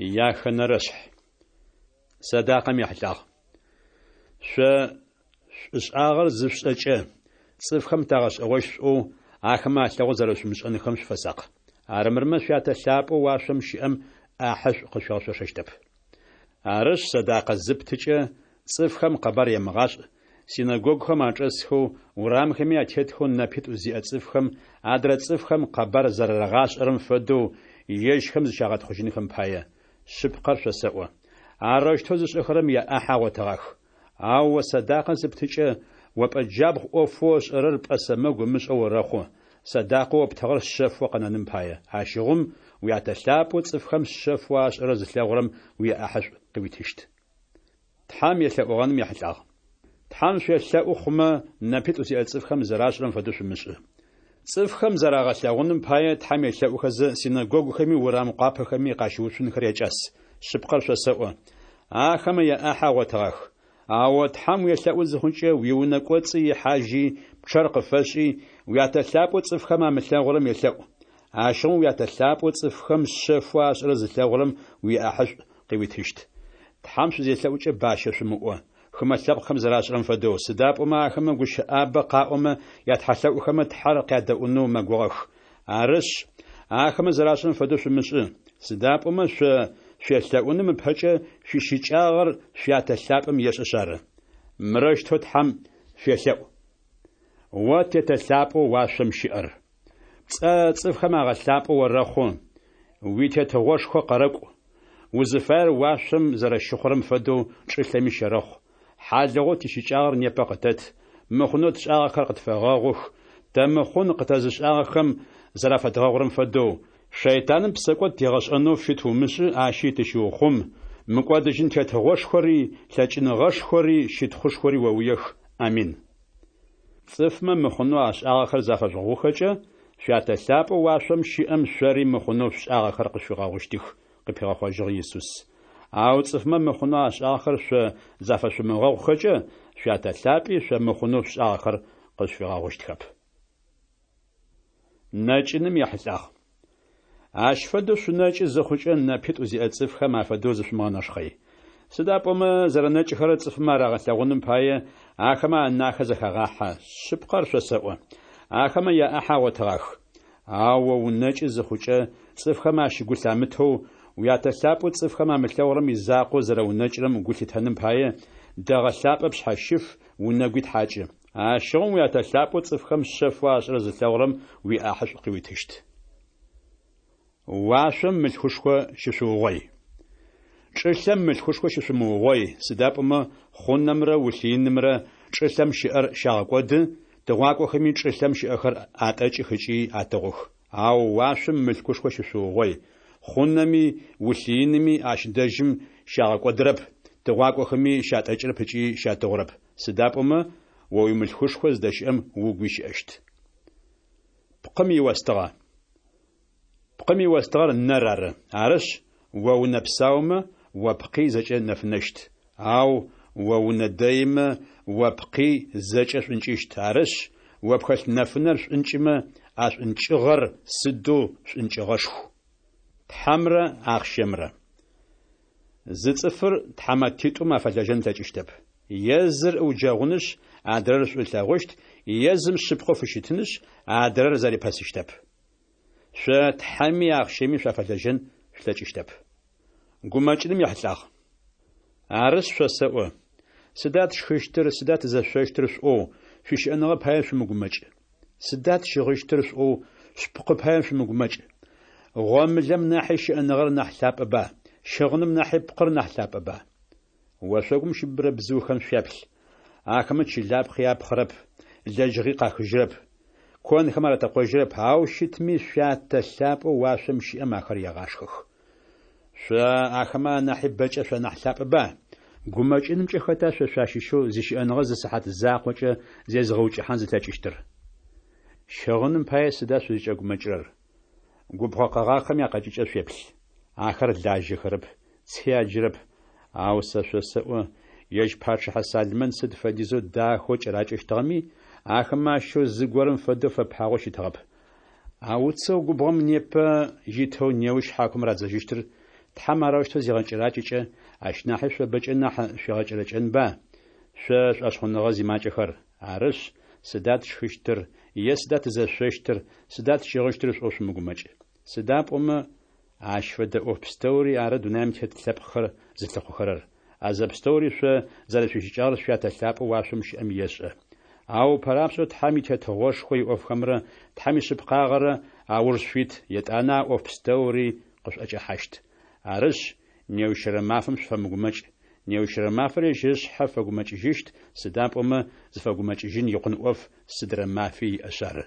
Яхэнэрэшъхь. Сэдакъэм ехьылӏагъ. Шъо шӏушӏагъэр зышъушӏэкӏэ, цӏыфхэм тагъэшӏэгъощт шъуӏоу, ахэмэ алъэгъоу зэрэшъумышӏэнхэм шъуфэсакъ. Армырмэ Шъуятэ лъапӏэу уашъом щыӏэм ӏахьышӏу къышъуигъэшъошэщтэп. Арышъ, сэдакъэ зыптыкӏэ, цӏыфхэм къэбар емыгъашӏ, синэгогухэм ачӏэсхэу, урамхэми атетхэу нэпитӏу зиӏэ цӏыфхэм адрэ цӏыфхэм къэбар зэрарагъашӏэрэм фэдэу, ежьхэм зыщагъэтхъужьынхэм пае. Шъыпкъэр шъосэӏо, арэущтэу зышӏэхэрэм яӏахь агъотыгъах. Ау о сэдакъэ зыптыкӏэ, о пӏэ джабгъу ӏофэу ышӏэрэр пӏэ сэмэгу ымышӏэу орэхъу, сэдакъэу оптыгъэр шъэфэу къэнэным пае. Ащыгъум Уятэ лъапӏэу цӏыфхэм шъэфэу ашӏэрэр зылъэгъурэм уиӏахьышӏу къыуитыщт. Тхьэм елъэӏугъэным ехьылӏагъ. Тхьэм шъуелъэӏу хъумэ, нэпитӏу зиӏэ цӏыфхэм зэрашӏырэм фэдэу шъумышӏы. Цӏыфхэм зарагъэлъэгъуным пае Тхьэм елъэӏухэзэ, синэгогухэми урам къуапэхэми къащыуцунхэр якӏас. Шъыпкъэр шъосэӏо, ахэмэ яӏахь агъотыгъах. Ау о Тхьэм уелъэӏу зыхъукӏэ, уиунэ кӏоцӏы ихьажьи, пчъэр къыфэшӏи, Уятэ лъапӏэу цӏыфхэм амылъэгъурэм елъэӏу. Ащыгъум Уятэ лъапӏэу цӏыфхэм шъэфэу ашӏэрэр зылъэгъурэм уиӏахьышӏу къыуитыщт. Тхьэм шъузелъэӏукӏэ бащэ шъумыӏо, хымэ лъэпкъхэм зэрашӏырэм фэдэу, сыда пӏомэ ахэмэ гущыӏабэ къаӏомэ ятхьэлъэӏухэмэ Тхьэр къядэӏунэу мэгугъэх. Арышъ, ахэмэ зэрашӏырэм фэдэу шъумышӏы, сыда пӏомэ шъо шъуелъэӏуным ыпэкӏэ шъуищыкӏагъэр Шъуятэ лъапӏэм ешӏэшъ ары. Мырэущтэу Тхьэм шъуелъэӏу. О Тетэ лъапӏэу уашъом щыӏэр! Пцӏэ цӏыфхэм агъэлъапӏэу орэхъу, уи Тетыгъошхо къэрэкӏу. Узыфаер уашъом зэрэщыхъурэм фэдэу чӏылъэми щэрэхъу. Хьалыгъоу тищыкӏагъэр непэ къытэт, мыхъунэу тшӏагъэхэр къытфэгъэгъух, тэ мыхъун къытэзышӏагъэхэм зэрафэдгъэгъурэм фэдэу. Шэйтаным псэкӏод тигъэшӏэнэу фит умышӏы, ащи тыщыухъум, мыкӏодыжьын тетыгъошхори, лъэкӏыныгъэшхори, щытхъушхори оуиех. Амин. Цӏыфмэ мыхъунэу ашӏагъэхэр зафэжъугъэгъухэкӏэ, Шъуятэ лъапӏэу уашъом щыӏэм шъори мыхъунэу шъушӏагъэхэр къышъуфигъэгъущтых, къыпигъэхъожьыгъ Исус. Ау цӏыфмэ мыхъунэу ашӏагъэхэр шъо зафэшъумыгъэгъухэкӏэ, Шъуятэ лъапӏи шъо мыхъунэу шъушӏагъэхэр къышъуфигъэгъущтхэп. Нэкӏыным ехьылӏагъ. Ащ фэдэу шъунэкӏы зыхъукӏэ, нэпитӏу зиӏэ цӏыфхэм афэдэу зышъумыгъэнэшхъэй. Сыда пӏомэ зэрэнэкӏыхэрэр цӏыфмэ арагъэлъэгъуным пае, ахэмэ анахэ зэхагъахьэ. Шъыпкъэр шъосэӏо, ахэмэ яӏахь агъотыгъах. Ау о унэкӏы зыхъукӏэ, цӏыфхэм ащ гу лъамытэу, Уятэ лъапӏэу цӏыфхэм амылъэгъурэм изакъоу зэрэунэкӏырэм гу лъитэным пае, дэгъэ лъапӏэ пшъхьэщыф, унэгуи тхьакӏы. Ащыгъум Уятэ лъапӏэу цӏыфхэм шъэфэу ашӏэрэр зылъэгъурэм уиӏахьышӏу къыуитыщт. Уашъом мылъкушхо щышъуугъой. Чӏылъэм мылъкушхо щышъумыугъой, сыда пӏомэ хъунэмрэ улъыинымрэ чӏылъэм щыӏэр щагъэкӏоды, тыгъуакӏохэми чӏылъэм щыӏэхэр атӏэкӏых ыкӏи атыгъух. Ау уашъом мылъкушхо щышъуугъой, хъунэми улъыиными ащ дэжьым щагъэкӏодырэп, тыгъуакӏохэми щатӏэкӏырэп ыкӏи щатыгъурэп, сыда пӏомэ о уимылъкушхо зыдэщыӏэм угуи щыӏэщт. Пкъым иостыгъэ. Пкъым иостыгъэр нэр ары. Арышъ, о унэ псаумэ, о пкъи зэкӏэ нэфынэщт. Ау о унэ дэимэ, о пкъи зэкӏэ шӏункӏыщт. Арышъ, о пхэлъ нэфынэр шӏункӏымэ, а шӏункӏыгъэр сыдэу шӏункӏыгъэшху! Тхьэмрэ ахъщэмрэ. Зы цӏыфыр тхьамэтитӏум афэлэжьэн ылъэкӏыщтэп. Е зыр ыуджэгъунышъ, адрэр шӏу ылъэгъущт, е зым шъыпкъэу фыщытынышъ, адрэр зэрипэсыщтэп. Шъо Тхьэми ахъщэми шъуафэлэжьэн шъулъэкӏыщтэп. Гумэкӏыным ехьылӏагъ. Арышъ, шъосэӏо, сыда тшхыщтыр, сыда тызэшъощтыр шъуӏоу, шъуищыӏэныгъэ пае шъумыгумэкӏ. Сыда тщыгъыщтыр шъуӏоу, шъупкъы пае шъумыгумэкӏ. Гъомылэм нахьи щыӏэныгъэр нахь лъапӏэба, щыгъыным нахьи пкъыр нахь лъапӏэба? Ошъогум щыбыбырэ бзыухэм шъуяплъ. Ахэмэ чылапхъи апхъырэп, лэжьыгъи къахыжьырэп, конхэм аратэкъожьырэп, ау щытми Шъуятэ лъапӏэу уашъом щыӏэм ахэр егъашхэх. Шъо ахэмэ анахьи бэкӏэ шъуанахь лъапӏэба? Гумэкӏынымкӏэ хэта шъо шъуащыщэу зищыӏэныгъэ зы сыхьат закъокӏэ зезыгъэукӏыхьан зылъэкӏыщтыр? Щыгъыным пае сыда шъузкӏэгумэкӏырэр? Губгъо къэгъагъхэм якъэкӏыкӏэ шъуеплъ. Ахэр лажьэхэрэп, ци аджырэп, ау сэ шъосэӏо, ежь пачъыхьэ Салмэн сыд фэдизэу дахэу кӏэракӏэщтыгъэми, ахэмэ ащыщэу зыгорэм фэдэу фэпагъэу щытыгъэп. А уцэу губгъом непэ итэу неущ хьакум радзэжьыщтыр Тхьэм арэущтэу зигъэкӏэракӏэкӏэ, ащ нахьи шъо бэкӏэ нахь шъуигъэкӏэрэкӏэнба, шъо шӏошъхъуныгъэ зимакӏэхэр? Арышъ, Сыда тшхыщтыр? Е Сыда тызэшъощтыр? Сыда тщыгъыщтыр? шъуӏоу шъумыгумэкӏ. Сыда пӏомэ Ащ фэдэ ӏоф пстэури ары дунаим тет лъэпкъхэр зылъыхъухэрэр. А зэпстэури шъо зэрэшъуищыкӏагъэр Шъуятэ лъапӏэу уашъом щыӏэм ешӏэ. Ау ыпэрапшӏэу Тхьэм и Тетыгъошхо иӏофхэмрэ Тхьэм ишъыпкъагъэрэ ауж шъуит, етӏанэ а ӏоф пстэури къышъуӏэкӏэхьащт. Арышъ, неущырэ мафэм шъуфэмыгумэкӏ. Неущырэ мафэр ежь ышъхьэ фэгумэкӏыжьыщт, сыда пӏомэ зыфэгумэкӏыжьын икъун ӏоф сыдрэ мафи иӏэшъ ары.